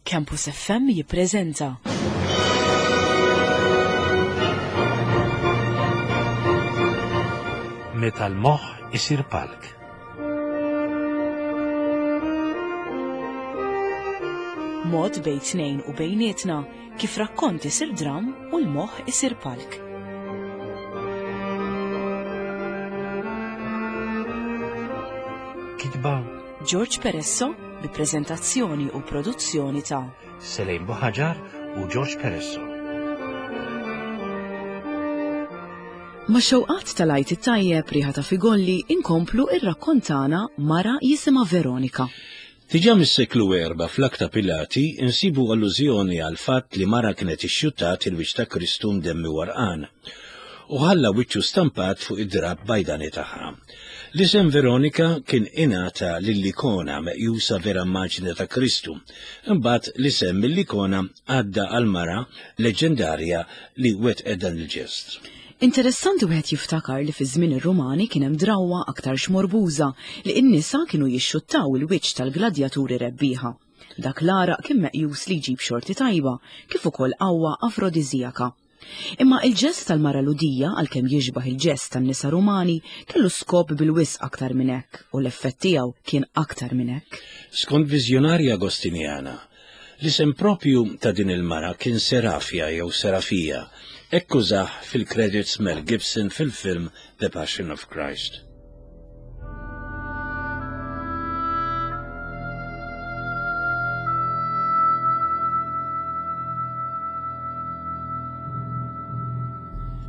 Campus FM jippreżenta. Meta l-moħħ isir palk. Mod bejn tnejn u bejnietna kif rakkont isir dram u l-moħħ isir palk. Kitba George Peresso bi preżentazzjoni u produzzjoni ta' Selejn Buħaġar u George Peresso. Ma' xewqat tal-Għid it-Tajjeb riħa ta' figolli inkomplu ir-rakkontana mara jisimha Veronika. Diġà mis-seklu erba' fl-Akta Pilati insibu allużjoni għall-fatt li mara kienet ixxuttat il-wiċċ ta' Kristu mdemmi għarqan u ħalla wiċċu stampat fuq id-drapp bajdani tagħha. L-isem Veronika kien ingħata lill-ikona meqjusa vera immaġni ta' Kristu. Imbagħad l-isem mill-ikona għadda għall-mara leġġendarja li wettqet dan il-ġest. Interessanti wieħed jiftakar li fi żmien ir-Rumani kien hemm drawwa aktarx morbuża li n-nisa kienu jixxuttaw il-wiċċ tal-gladjaturi rebbieħa. Dak l-għaraq kien meqjus li jġib xorti tajba kif ukoll qawwa afrodiżijaka. Imma il-ġest tal-mara Lhudija, għalkemm jixbah il-ġest tan-nisa Rumani, kellu skop bil-wisq aktar minn hekk u l-effett tiegħu kien aktar minn hekk. Skont viżjonarja Agostinjana, L-isem proprju ta' din il-mara kien Serafia jew Serafija, hekk użah fil-credits Mel Gibson fil-film The Passion of Christ.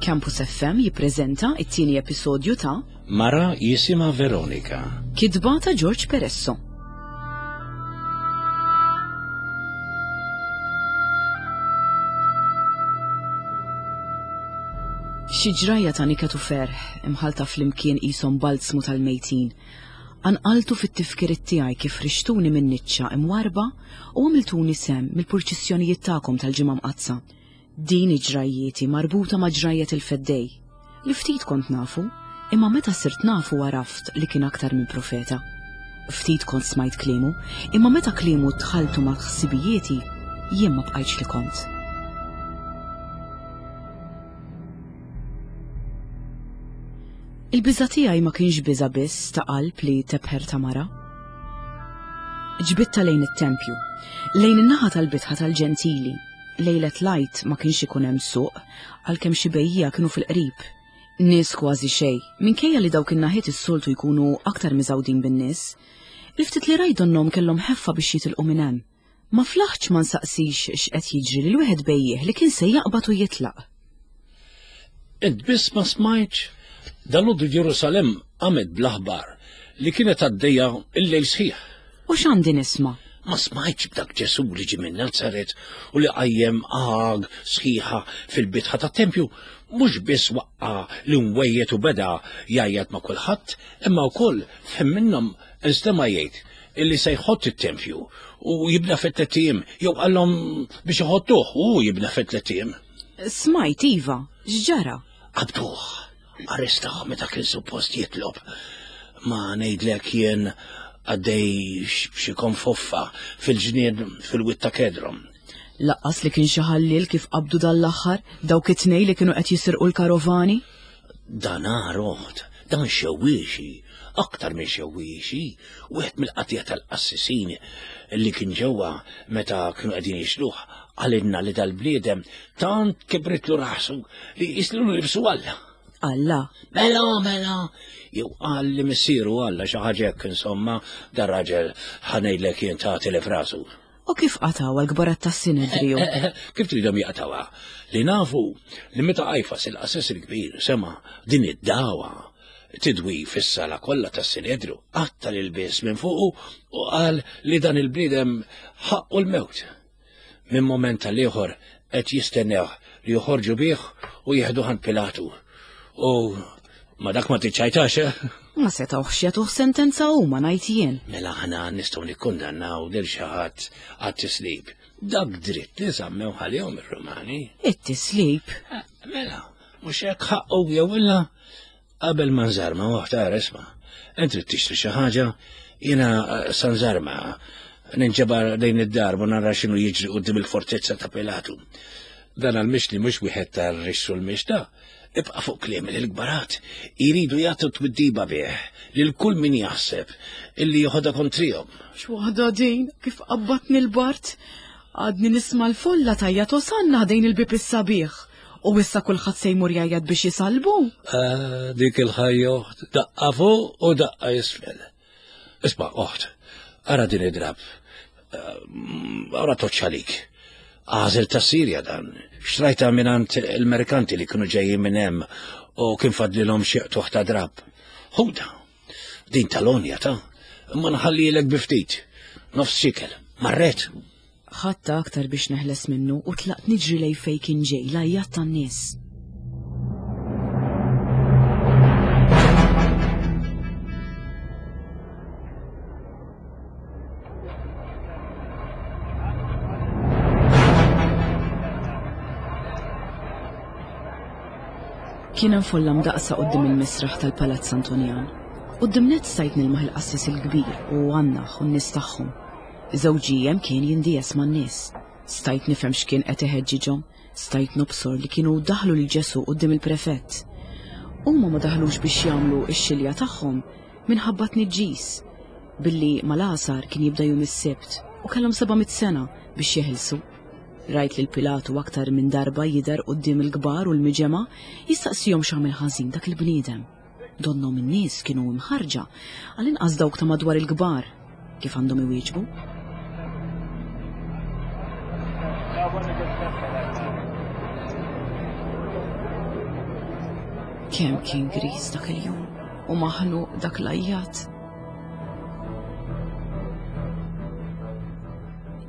Campus FM jippreżenta it-tieni episodju ta' Mara jisimha Veronika. Kitba ta' George Peresso. Xi ġrajja ta' niket u ferħ imħalta flimkien qishom balzmu tal-mejtin. Anqaltu fit-tifkiriet tiegħi kif rixtuni minn niċċa imwarrba u għamiltuni sehem mill-purċissjonijiet tagħkom tal-Ġimgħa Mqaddsa. Din hi ġrajjieti marbuta ma' ġrajjet il-Feddej, li ftit kont nafu, imma meta sirt nafu għaraft li kien aktar minn profeta. Ftit kont smajt kliemu, imma meta kliemu dħaltu ma' ħsibijieti, jien ma bqajtx li kont. Il-biża' tiegħi ma kienx biża' biss ta' qalb li tebħer ta' mara. Ġbidtha lejn it-tempju, lejn in-naħa tal-bitħa tal-Ġentili. Lejlet l-Għid ma kienx ikun hemm suq, għalkemm xi bejjiegħa kienu fil-qrib. Nies kważi xejn, minkejja li dawk in-naħiet is-soltu jkunu aktar miżgħudin bin-nies. Il-ftit li rajt donnhom kellhom ħeffa biex jitilqu minn hemm. Ma flaħtx ma nsaqsix x'qed jiġri lil wieħed bejjiegħ li kien se jaqbad u jitlaq. Int biss ma smajtx? Dalgħodu Ġerusalemm qamet bl-aħbar li kienet għaddejja l-lejl sħiħ. U x'għandi nisma'? Ma smajtx b'dak Ġesù li ġie minn Nazaret u li qajjem għag sħiħa fil-bitħa tat-tempju? Mhux biss waqqa' l-imwejjed u beda jgħajjat ma' kulħadd, imma wkoll f'ħin minnhom instema' jgħid illi se jħott it-tempju u jibna fi tlett ijiem, jew qallhom biex iħottuh u hu jibna fi tlett ijiem. Smajt, iva, x'ġara? Qabduh, arrestawh meta kien suppost jitlob. Ma ngħidlek jien għaddej xi konfoffa fil-ġnien fil-wied ta' Kedron. Laqqas li kien xi ħalliel kif qabdu dan l-aħħar dawk it-tnejn li kienu qed jisirqu l-karovani. Dan agħar oħt, dan xewwiexi, aktar minn xewwiexi, wieħed mill-qatija tal-qassisin li kien ġewwa meta kienu qegħdin jixluh, qalilna li dal-bniedem tant kibritlu rasu li jislu nifsu Alla. Alla? Mela, mela, jew qal li missieru Alla xi ħaġa hekk insomma, dar-raġel ħa ngħidlek jien tagħti li f'rasu. U kif qatgħuha l-kbarat tas-Sinedriju? Kif tridhom jaqtgħuha? Li nafu li meta Qajfas il-qassis il-kbir sema' din id-dagħwa tidwi fis-sala kollha tas-Sinedriju, qatta' l-ilbies minn fuqu u qal li dan il-bniedem ħaqqu l-mewt. Minn moment għal ieħor qed jistennewh li joħorġu bih u jieħduh għand Pilatu. U ma dak ma tiċċajtax, eh? Ma setgħuhx jagħtuh sentenza huma ngħid jien. Mela aħna nistgħu nikkundannaw lil xi ħadd għat-tislib. Dak dritt li żammew ħalihom ir-Rumani. It-tislib? Eh, mela, mhux hekk ħaqqu jew illa Qabel ma nżarma, oħt ara isma', int trid tixtri xi ħaġa, jiena eh, sa nżarma. Ninġabar lejn id-dar u nara x'inhu jiġri quddiem il-fortezza ta' Pilatu. Dan għal-mixli mhux wieħed tar-rixx u l-mixta. Ibqa' fuq kliem li l-kbarat jridu jagħtu twiddiba bih lil kull min jaħseb illi joħodha kontrihom. X'waħda din kif qabbatni l-bart? Għadni nisma' l-folla tajjat osanna ħdejn il-bieb is-sabiħ. U issa kulħadd se jmur jgħajjat biex jisalbu? Ah, dik il-ħajja oħt, daqqa fuq u daqqa isfel. Isma' oħt, ara din id-drab. Eh, ara toċċalik. Għażel ta' Sirja dan. Xtrajta mingħand il-merkanti li kienu ġejjin minn hemm u kien fadlilhom xi qtuħ ta' drab. Ħuda, din tal-onja ta' imma nħallilek bi ftit. Nofs xikel, marret. Ħadtha aktar biex neħles minnu u tlaqt niġri lejn fejn kien ġej l-għajjat tan-nies. Kien hemm folla mdaqsa quddiem il-misraħ tal-Palazz Antonjan. Quddiem nett stajt nilmaħ il-qassis il-kbir u Annaħ u n-nies tagħhom. Żewġi hemm kien jindies man-nies. Stajt nifhem x'kien qed iħeġġiġhom, stajt nobsor li kienu daħlu lil Ġesù quddiem il-prefett. Huma ma daħlux biex jagħmlu x-xilja tagħhom minħabba tniġġis, billi mal-għasar kien jibda jum is-Sibt u kellhom 700 sena biex jeħilsu. Rajt lil Pilatu aktar minn darba jidher quddiem il-kbar u l-miġemgħa jistaqsihom x'għamel ħażin dak il-bniedem. Donnhom in-nies kienu imħarrġa, għall-inqas dawk ta' madwar il-kbar, kif għandhom iwieġbu. Kemm kien griż dak il-jum u maħnuq dak l-għajjat.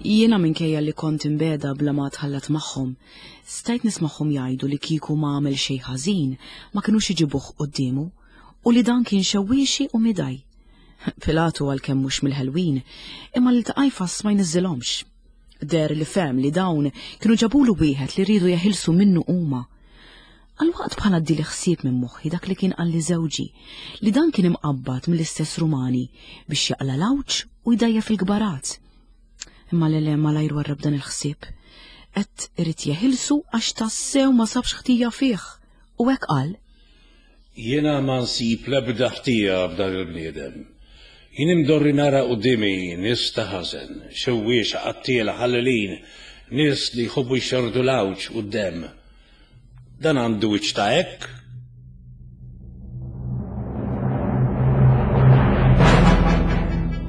Jiena minkejja li kont imbeda bla ma tħallat magħhom, Stajt nismagħhom jgħidu li kieku ma għamel xejn ħażin ma kinux iġibuh quddiemu u li dan kien xewwiexi u midaj. Pilatu għalkemm mhux mill-ħelwin, imma lil ta' Qajfas ma jniżżilhomx. Deher li fehem li dawn kienu ġabulu wieħed li riedu jeħilsu minnu huma. Għal waqt bħal għaddieli ħsieb minn moħħi dak li kien qalli żewġi, li dan kien imqabbad mill-istess Rumani biex jaqla' l-għawġ u jdajjef il-kbarat. Imma le le malajr warrab dan il-ħsieb. Qed irid jeħilsu għax tassew ma sabx ħtija fih. U hekk qal. Jiena ma nsib l-ebda ħtija f'dan il-bniedem. Jien imdorri nara quddiemi nies ta' ħażen, xewwiexa, qattiela, ħallelin, nies li jħobbu jxerrdu l-għawġ u d-demm. Dan għandu wiċċ ta' hekk?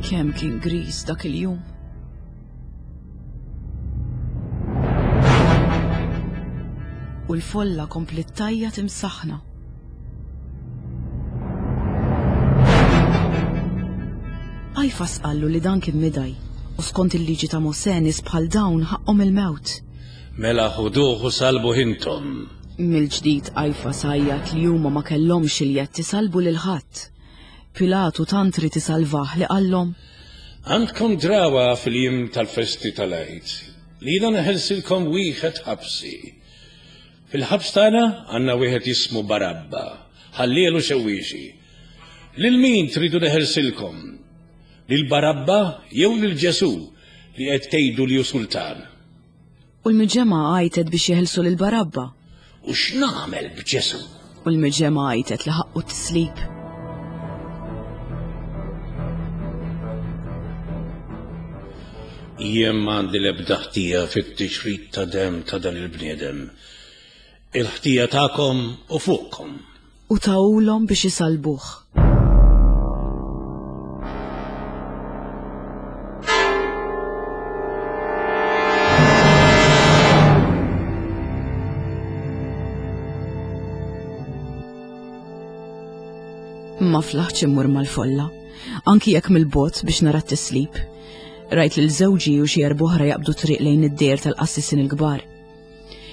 Kemm kien griż dak il-jum. U l-folla kompliet tajjat imsaħħna. Qajfas qallu li dan kien midaj u skont il-liġi ta' Mosè nies bħal dawn ħaqqhom il-mewt. Mela ħuduh u salbuh intom. Mill-ġdid Qajfas għajjat li huma ma kellhomx il-jedd isallbu lil ħadd. Pilatu tant ried isalvah li qallhom. Għandkom drawha fil-jiem tal-festi tal-Għid li jiena neħelsilkom wieħed ħabsi. Fil-ħabs tagħna għandna wieħed jismu Barabba, ħalliel u xewwiexi. Lil min tridu neħelsilkom? Lil Barabba jew lil Ġesù li qed tgħidu li hu sultan? U l-miġemgħa għajtet biex jeħilsu lil Barabba. U x'nagħmel b'Ġesù? U l-miġemgħa għajtet li ħaqqu t-tislib. Jien m'għandi l-ebda ħtija fit-tixrid ta' demm ta' dan il-bniedem. Il-ħtija tagħkom u fuqkom. U tawulhom biex isallbuh. Ma flaħtx immur mal-folla, anki jekk mill-bogħod biex nara t-tislib. Rajt lil żewġi u xi erboħra jaqbdu triq lejn id-dejr tal-qassisin il-kbar.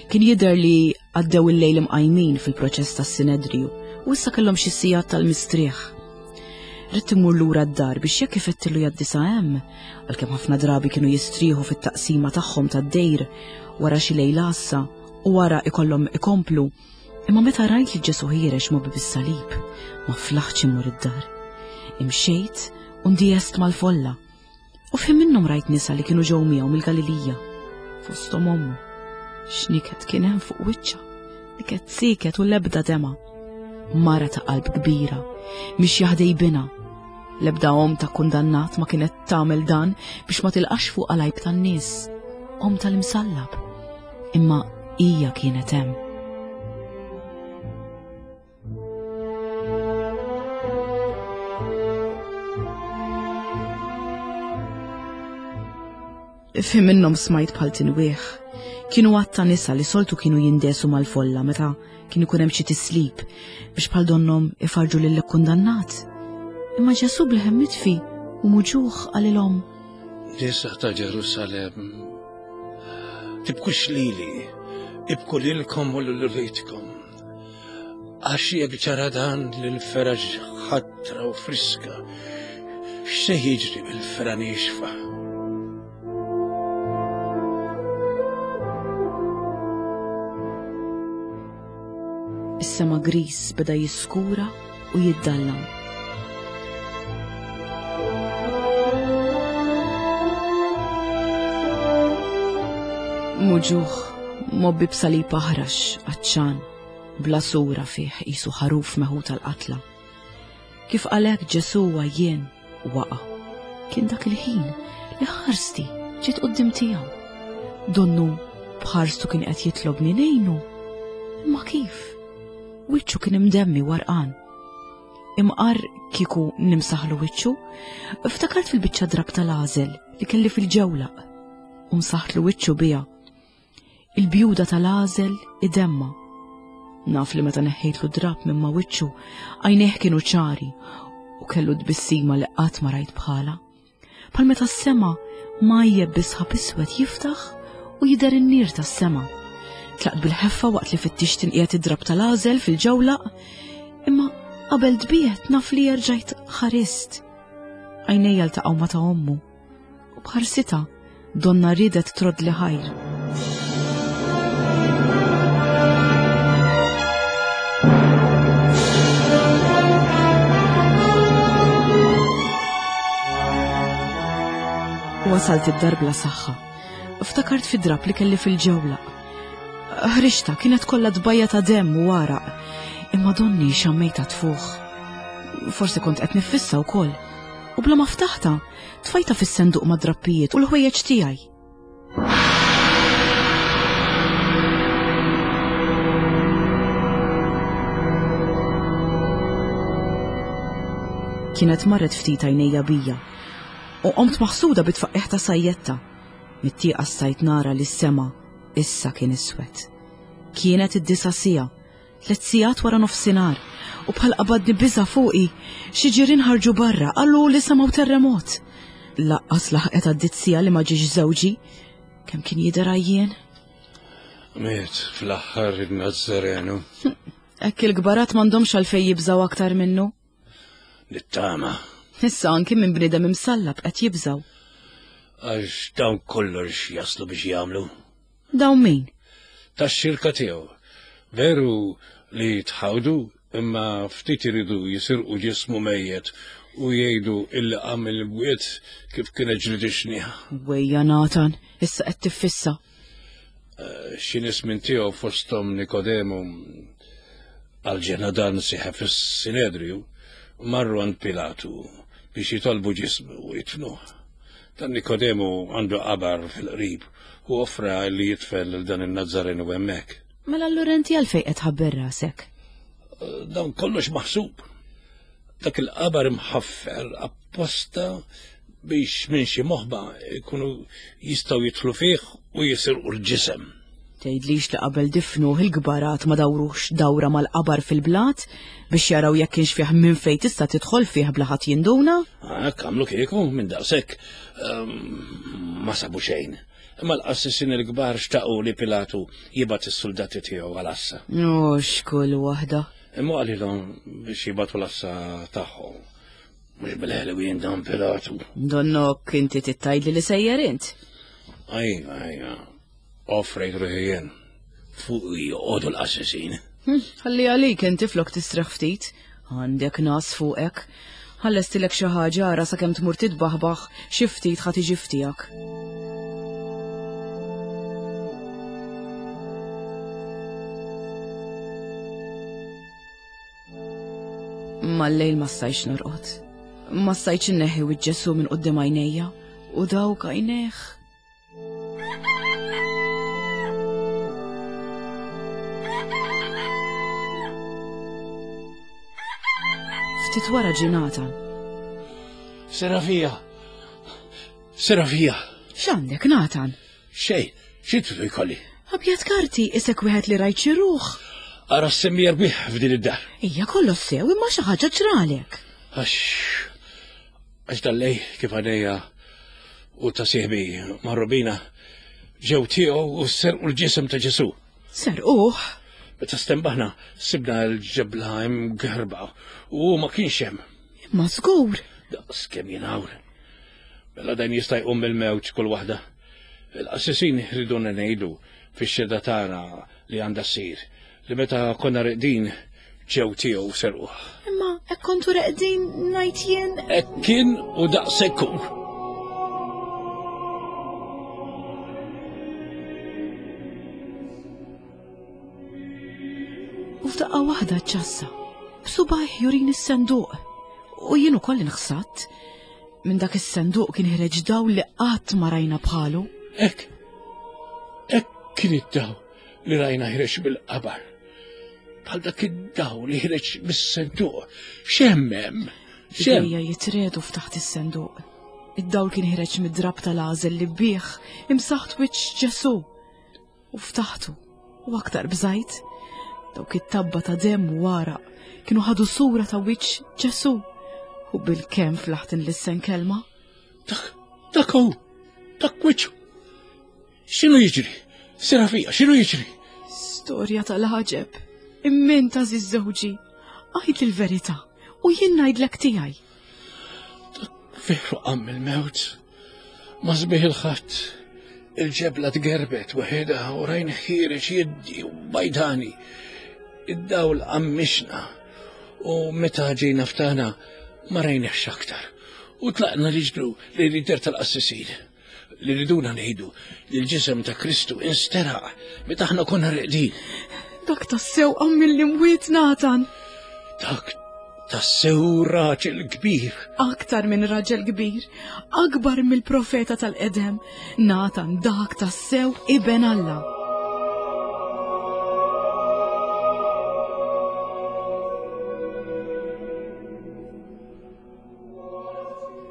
Kien jidher li għaddew il-lejl imqajmin fil-proċess tas-Sinedriju u issa kellhom xi sigħat tal-mistrieħ. Ridt immur lura d-dar biex jekk ifettillu jgħaddi sa hemm, għalkemm ħafna drabi kienu jistrieħu fit-taqsima tagħhom tad-dejr wara xi lejl għassa u wara ikollhom ikomplu. Imma meta rajt li Ġesu ħiereġ ma' bib is-salib, ma flaħtx immur id-dar. Imxejt u ndiest mal-folla. U f'ħin minnhom rajt nisa li kienu ġew miegħu mill-Galilija, fosthom ommu. X'niket kien hemm fuq wiċċha, niket siket u l-ebda dema. Mara ta' qalb kbira, mixja ħdej binha. L-ebda omm ta' kundannat ma kienet tagħmel dan biex ma tilqax fuq għalajb tan-nies. Omm tal-imsallab. Imma hija kienet hemm. Fi minnhom smajt bħal tinwieħ. Kienu għadd ta' nisa li soltu kienu jindesu mal-folla meta kien ikun hemm xi tislib biex bħal donnhom ifarġu lil kundannat. Imma Ġesu bl-ħem mitfi u muġuħ qalilhom. Nisa ta' Ġerusalemm, tibkux lili, ibku lilkom u lil uliedkom. Għax jekk ġara dan lil feraġ ħatra u friska, x'se jiġri bil-fera niexfa? Is-sema gris beda jiskura u jiddallam. Muġuħ, mobbi b'salib aħrax, għatxan, bla sura fih qisu ħaruf meħud tal-qatla. Kif qalek Ġesu għajjien waqa'. Kien dak il-ħin li ħarsti ġiet qudiem tiegħu. Donnu b'ħarstu kien qed jitlobni ngħinu. Imma kif? Wiċċu kien imdemmi warqan. Imqar kieku nimsaħlu wiċċu, ftakart fil-biċċa drab tal-għażel li kelli fil-ġewlaq u msaħtlu wiċċu biha. Il-bjuda tal-għażel idemma. Naf li meta neħħejtlu drab minn ma' wiċċu, għajnejh kienu ċari u kellu tbissima li qatt ma rajt bħala. Bħal meta s-sema majjeb bi sħab iswed jiftaħ u jidher in-nier tas-sema. Tlaqt bil-ħeffa waqt li fittix tinqiegħed id-drab tal-għażel fil-ġewlaq, imma qabel tbiegħed naf li erġajt ħarist. Għajnejja ltaqgħu ma' ta' ommu u b'ħarsitha donna riedet troddli ħajr. Wasalt id-dar bla saħħa. Ftakart fi drab li kelli fil-ġewlaq. Ħriġta kienet kollha tbajja ta' demm u għaraq, imma donni xammejta tfuħ. Forsi kont qed niffissa wkoll. U bla ma ftaħta, Tfajta fis-senduq mad-drappijiet u l-ħwejjeġ tiegħi. Kienet marret ftit għajnejja bija u qomt maħsuda bit-tfaqqigħ ta' sajjetta. Mit-tieqa stajt nara li s-sema issa kien iswed. Kienet id-disa' siegħa Tlet sigħat wara nofsinhar, u bħal qabadni biża' fuqi, xi ġirien ħarġu barra qalu li semgħu terremot. Laqqas laħqet għaddiet siegħa li ma ġiex żewġi. Kemm kien jidher għajjien? Miet fl-aħħar in-Nazzarenu. Hekk il-kbarat m'għandhomx għalfejn jibżgħu aktar minnu. Nittama. Issa anki minn bniedem imsallab qed jibżgħu. Għax dawn kollox jaslu biex jagħmlu. Dawn min? Tax-xirka tiegħu. Veru li tħawdu imma ftit iridu jisirqu ġismu mejjet u jgħidu illi qam mill-bwiet kif kienet ġriet ix-xnieħa. Wejja Nathan, issa qed tiffissa. Eh, xi nies minn tiegħu fosthom Nikodemu għal ġena dan sieħeb fis-Sinedriju marru għand Pilatu biex jitolbu ġismu u jitfnuh. Dan Nikodemu għandu qabar fil-qrib u offra li jitfel lil dan in-Nazzarenu hemmhekk. Mela allura inti għalfejn qed tħabber rasek? Dan kollox maħsub. Dak il-qabar imħaffer apposta biex minn xi moħba jkunu jistgħu jidħlu fih u jisirqu l-ġisem. Tgħidlix li qabel difnuh il-kbarat ma dawruhx dawra mal-qabar fil-blat biex jaraw jekk kienx fih minn fejn tista' tidħol fih bla ħadd jinduna? Hekk għamlu kieku minn daqshekk ehm, ma sabu xejn. Imma l-qassisin il-kbar xtaqu li Pilatu jibgħat is-suldati tiegħu għal assa. Mhux kull waħda. Imma qalilhom biex jibgħatu l-assa tagħhom. Mhux bil-ħelwien dan Pilatu. Donnok inti tittajdli li sejjer int. Ajja, ajja. Offrejt ruħi jien. Fuq joqogħdu l-qassisin. Hm, ħalli għalik inti flok tistrieħ ftit. Għandek nas fuqek. Ħallestilek xi ħaġa ara sakemm tmur titbaħbaħ xi ftit ħa tiġi f'tiegħek. Mal-lejl ma stajtx norqod. Ma stajtx inneħħi wiċċ Ġesù minn quddiem għajnejja u dawk għajnejh. Ftit wara ġie Nathan. Serafija! Serafija! X'għandek Nathan? Xejn, xi tridu jkolli? Abjad karti, isek wieħed li rajt xi ruħ. Ara s-semmi jerbiħ f'din id-dar. Ija kollox sew imma xi ħaġa ġralek. Għax għax dallej kif għadejja u ta' sieħbi marrubina ġew tiegħu u serqu l-ġisem ta' Ġesu. Serquh? Meta stembaħna sibna l-ġebla imgerba u ma kienx hemm. Imma żgur. Daqs kemm jien hawn. Mela dan jista' jqum mill-mewt kull waħda. Il-qassisin riduna ngħidu fix-xhieda tagħna li għandha ssir li meta konna reqdin ġew tiegħu serquh. Imma hekk kontu reqdin ngħid jien. Hekk kien u daqshekk hu. U f'daqqa waħda ċassa, b'subajh jurini s-senduq. U jien ukoll inħsadt. Minn dak is-senduq kien ħreġ dawl li qatt ma rajna bħalu. Hekk, hekk kien id-dawl li rajna ħreġ mill-qabar. Bħal dak id-dawl li ħreġ mis-senduq. X'hemm hemm? X'hemm? Idejja jitredu ftaħt is-senduq. Id-dawl kien ħreġ mid-drab tal-għażel li bih imsaħt wiċċ Ġesù. U ftaħtu, u aktar bżajt. Dawk it-tabba ta' demm u għaraq kienu ħadu sura ta' wiċċ Ġesù. U bil-kemm flaħt inlissen kelma. Dak, dak hu, dak wiċċu. X'inhu jiġri? Serafija, x'inhu jiġri? Storja tal-ħaġeb. Imment għażiż żewġi. Għid il-verità u jien ngħidlek tiegħi. Dak veru qam il-mewt. Ma sbieħ il-ħadd, il-ġebla tgerbet waħedha u rajn ħiereġ jiddi u bajdani. Id-dawl għammixna u meta ġejna ftana ma rajniex aktar. U tlaqna niġru lejn id-dar tal-qassisin li riduna ngħidu li l-ġisem ta' Kristu insteraq meta aħna konna reqdin. Dak tassew qam mill-imwiet Natan. Dak tassew raġel kbir. Aktar minn raġel kbir, akbar mill-profeta tal-qedem, Natan dak tassew iben Alla.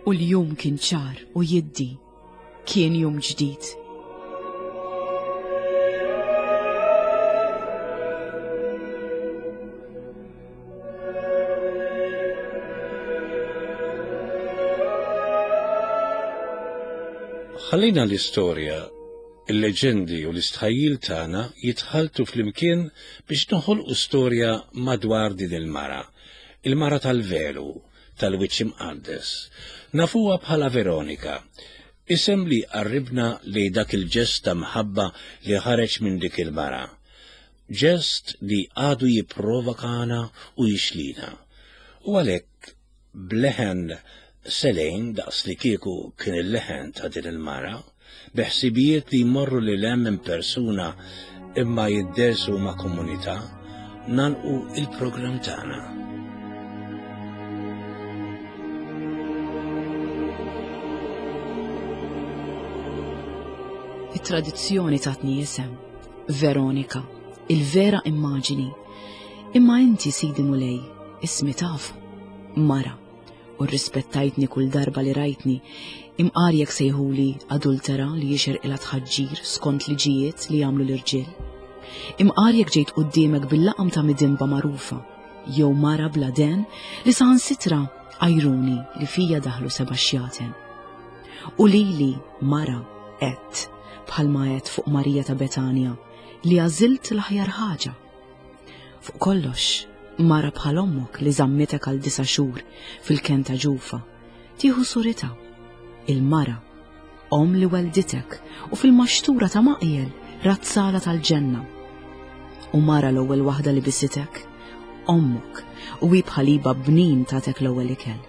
U l-jum kien ċar u jiddi Kien jum ġdid. Ħallejna l-istorja, il-leġendi u l-istħajjil tagħna jitħalltu flimkien biex noħolqu storja madwar din il-mara, il-mara tal-velu, tal-Wiċċ Imqaddes. Nafuha bħala Veronika, isem li jqarribna lejn dak il-ġest ta' mħabba li ħareġ minn dik il-mara. Ġest li għadu jipprovokana u jixlina. U għalhekk b'leħen selejn daqs li kieku kien il-leħen ta' din il-mara, bi ħsibijiet li jmorru lil hemm minn persuna imma jiddersu ma' komunità, nagħlqu il-programm tagħna. It-tradizzjoni tatni isem, Veronika, il-vera immaġini. Imma inti sidi mulej, ismi tafu, mara. u rrispettajtni kull darba li rajtni, imqar jekk sejħuli adultera li jixirqilha tħaġġir skont liġijiet li jagħmlu l-irġiel. Imqar jekk ġejt quddiemek bil-laqam ta' midinba magħrufa, jew mara bla den li saħansitra għajruni li fija daħlu seba' xjaten. U lili mara għedt bħalma għedt fuq Marija ta' Betanja li għażilt l-aħjar ħaġa. Fuq kollox, mara bħal ommok li żammitek għal disa' xhur fil-kenn ta' ġufa, tieħu suritha. Il-mara, omm li welditek u fil-maxtura ta' maqjel razzala tal-ġenna. U mara l-ewwel waħda li bisitek, ommok, u hi bħaliba bnin tatek l-ewwel ikel.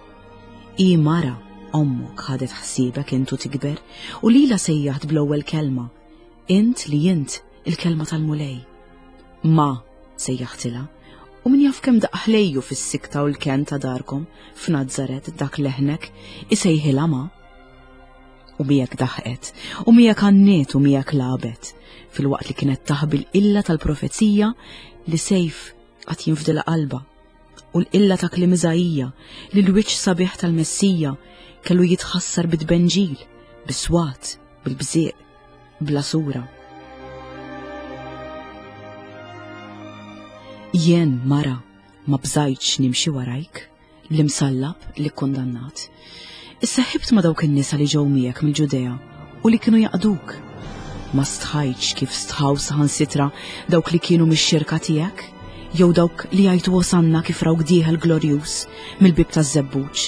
Hi mara, ommok ħadet ħsiebek int u tikber u lilha sejjaħt bl-ewwel kelma, int li int il-kelma tal-Mulej. Ma, sejjaħtilha, u min jaf kemm daqq ħlejju fis-sikta u l-kenn ta' darkom f'Nazaret dak leħnek isejħilha ma. U miegħek daħqet, u miegħek għanniet u miegħek lagħbet, filwaqt li kienet taħbi l-qilla tal-profezija li sejf għad jinfdilha qalbha, u l-qilla ta' kliem Iżaija li l-wiċċ sabiħ tal-Messija kellu jitħassar bit-tbenġil, bis-swat, bil-bżieq, bla sura. Jien mara ma bżajtx nimxi warajk, l-imsallab li kkundannat. Isseħibt ma' dawk in-nisa li ġew miegħek mill-Ġudea u li kienu jaqduk. Ma stħajtx kif stħaw saħansitra dawk li kienu mix-xirka tiegħek, jew dawk li jgħajtu Osanna kif rawk dieħel glorjuż mill-bieb taż-żebbuġ,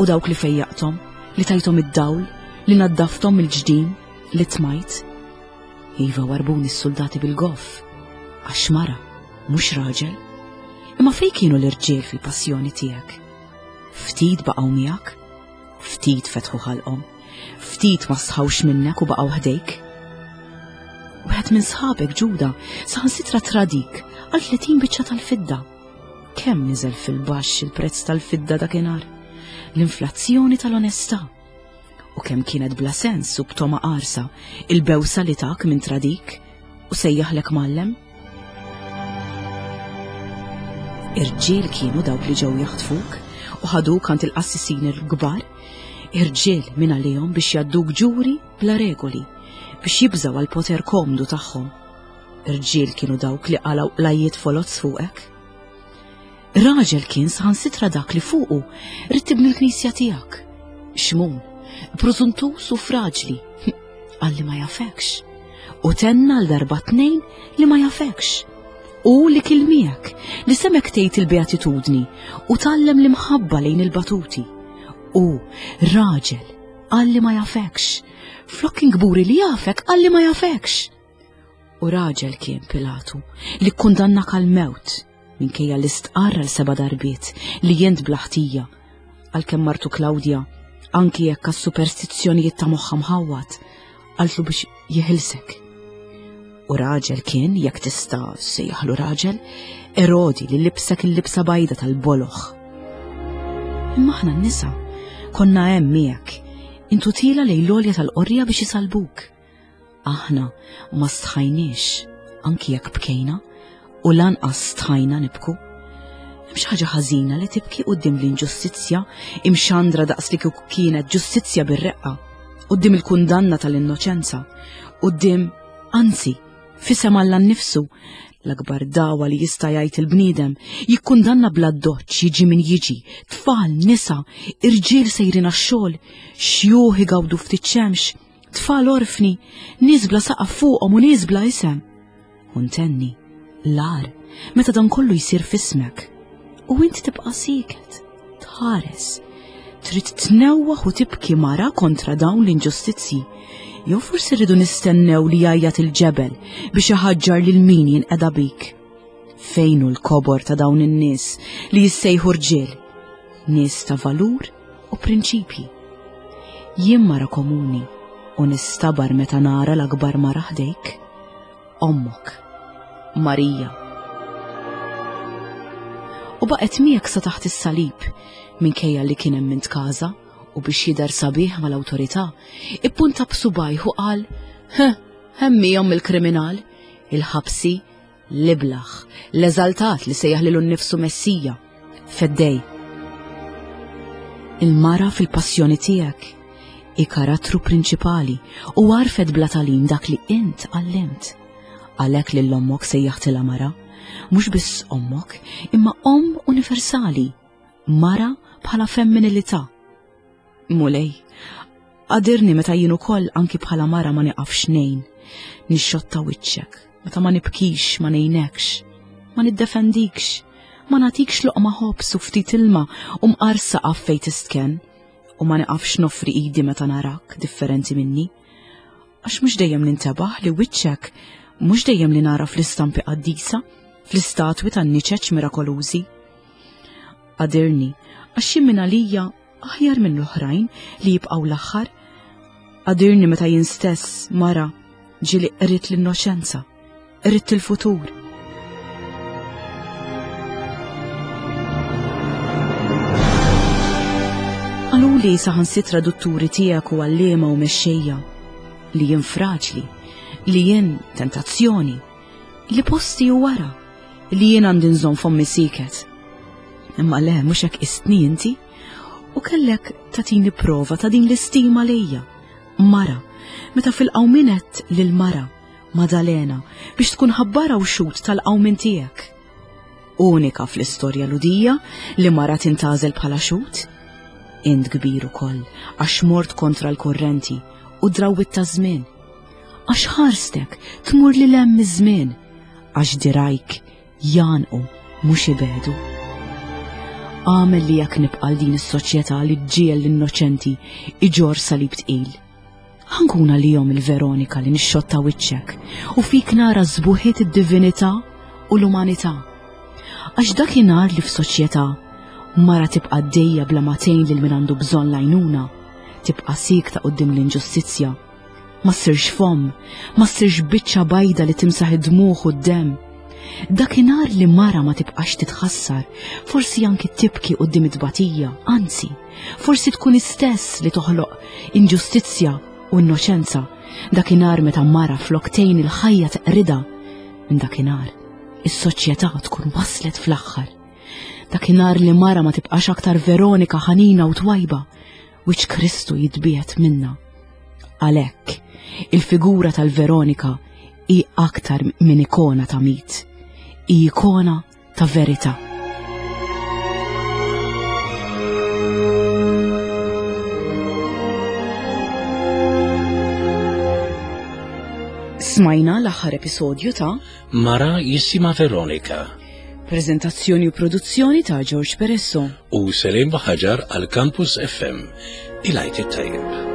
u dawk li fejjaqthom, li tajthom id-dawl, li naddafthom mill-ġdim, li tmajt. Iva warbuni s-suldati bil-goff, għax mara, mhux raġel. Imma fejn kienu l-irġiel fil-passjoni tiegħek? Ftit baqgħu miegħek, ftit fetħu ħalqhom, ftit ma sħawx minnek u baqgħu ħdejk. Wieħed minn sħabek Ġuda saħansitra tradik għal 30 biċċa tal-fidda. Kemm niżel fil-baxx il-prezz tal-fidda dakinhar? L-inflazzjoni tal-onestà. U kemm kienet bla sens u b'toma qarsa il-bewsa li tak minn tradik u sejjaħlek mgħallem? Irġiel kienu dawk li ġew jaħtfuk u ħaduk għand il-qassisin il-kbar, irġiel minn għalihom biex jadduk ġuri bla regoli, biex jibżgħu għal poter komdu tagħhom. Irġiel kienu dawk li qalgħu qlajjiet foloz fuqek. Raġel kien saħansitra dak li fuqu ridt tibni l-knisja tiegħek. Xmun, prużuntus u fraġli, qal li ma jafekx. U tenna għal darba tnejn li ma jafekx. U li kil miegħek, li semek tgħid il-beatitudni u tgħallem l-imħabba lejn il-batuti. U raġel qal li ma jafekx. Flok kien kburi li jafek qal li ma jafekx. U raġel kien Pilatu li kkundannak għall-mewt minkejja li stqarr għal seba' darbiet li jent bla ħtija, għalkemm martu Klawdja, anki jekk għas-superstizzjonijiet ta' moħħha mħawwad, qaltlu biex jeħilsek. U raġel kien, jekk tista' sejjaħlu raġel, Erodi li libsek il-libsa bajda tal-boloħ. Imma aħna n-nisa konna hemm miegħek, intu tila lejn l-għolja tal-qorja biex isalbuk. Aħna ma stħajniex, anki jekk bkejna, u lanqas stħajna nibku. Hemm xi ħaġa ħażina li tibki quddiem l-inġustizzja imxandra daqs li kieku kienet ġustizzja bir-reqqa, quddiem il-kundanna tal-innoċenza, quddiem, anzi, f'isem Alla nnifsu, l-akbar dawa li jista' jgħid il-bniedem, jikkundanna bla doċċ jiġi min jiġi, tfal, nisa, irġiel sejrin għax-xogħol, xjuħ igawdu ftit xemx, Tfal orfni, nies bla saqaf fuqhom u nies bla isem. U ntenni, l-agħar, meta dan kollu jsir f'ismek. U int tibqa' sieket, tħares. Trid tnewwaħ u tibki mara kontra dawn l-inġustizzji. Jew forsi rridu nistennew li jgħajjat il-ġebel biex iħaġġar lil min jinqeda bik. Fejn hu l-kobor ta' dawn in-nies li jissejħu rġiel? Nies ta' valur u prinċipji. Jien mara komuni u nistabar meta nara l-akbar mara ħdejk, ommok, Marija. U baqgħet miegħek sa taħt is-salib minkejja li kien hemm min tkaża u biex jidher sabiħ mal-awtorità, ippunta b'subajh u qal, Heh, hemm hi omm il-kriminal, il-ħabsi, L-iblah, l-eżaltat li sejjaħ lilu nnifsu Messija, Feddej. Il-mara fil-passjoni tiegħek hi karattru prinċipali u għarfet bla tagħlim dak li int għallimt. Għalhekk lil ommok sejjaħtilha mara, mhux biss ommok, imma omm universali, mara bħala femminilità. Mulej, qadirni meta jien ukoll anki bħala mara ma niqafx ngħin, nixxotta wiċċek, meta ma nibkix, ma ngħinekx, ma niddefendikx, ma nagħtikx loqma ħobż u ftit ilma u mqar saqaf fejn tistkenn, u ma niqafx noffri idi meta narak differenti minni. Għax mhux dejjem nintebaħ li wiċċek mhux dejjem li nara fl-istampi qaddisa, fl-istatwi tan-niċeċ mirakolużi. Qadirni, għax jien minn għalija. Aħjar minn l-oħrajn li jibqgħu l-aħħar. Għadirni meta jien stess mara ġieli qritt l-innoċenza, qritt il-futur. Qaluli saħansitra dutturi tiegħek u għalliema u mexxejja li jien fraġli, li jien tentazzjoni, li posti u wara, li jien għandi nżomm fommi siket. Imma le, mhux hekk istni inti, u kellek tatini prova ta' din l-istima lejja. Mara, meta fil-qawmien għedt lil mara, Madalena, biex tkun ħabbara u xhud tal-qawmien tiegħek. Unika fl-istorja Lhudija li mara tintgħażel bħala xhud. Int kbir ukoll għax mort kontra l-kurrenti u drawwiet taż-żmien. Għax ħarstek tmur lil hemm miż-żmien, għax dirgħajk jgħannqu mhux ibegħdu. Agħmel li jekk nibqa' għal din is-soċjetà li ġġiegħel l-innoċenti iġorr salib tqil. Ħa nkun għalihom il-Veronika li nixxotta wiċċek u fik nara sbuħiet id-divinità u l-umanità. Għax dakinhar li f'soċjetà mara tibqa' għaddejja bla ma tgħin lil min għandu bżonn l-għajnuna, tibqa' siekta quddiem l-inġustizzja, Ma ssirx fomm, ma ssirx biċċa bajda li timsaħ id-dmugħ u d-demm. Dakinhar li mara ma tibqax titħassar, forsi anki tibki quddiem it-tbatija, anzi, forsi tkun istess li toħloq inġustizzja u innoċenza. Dakinhar meta mara flok tgħin il-ħajja teqridha, minn dakinhar is-soċjetà tkun waslet fl-aħħar. Dakinhar li mara ma tibqax aktar Veronika ħanina u twajba, wiċċ Kristu jitbiegħed minna. Għalhekk, il-figura tal-Veronika hi aktar minn ikona ta' mit, hi ikona ta' verità. Smajna l-aħħar episodju ta' Mara jisima Veronika. Prezentazzjoni u produzzjoni ta' George Peresso. U Selim Baħaġar għal Campus FM. Il-għajt it-tajjeb.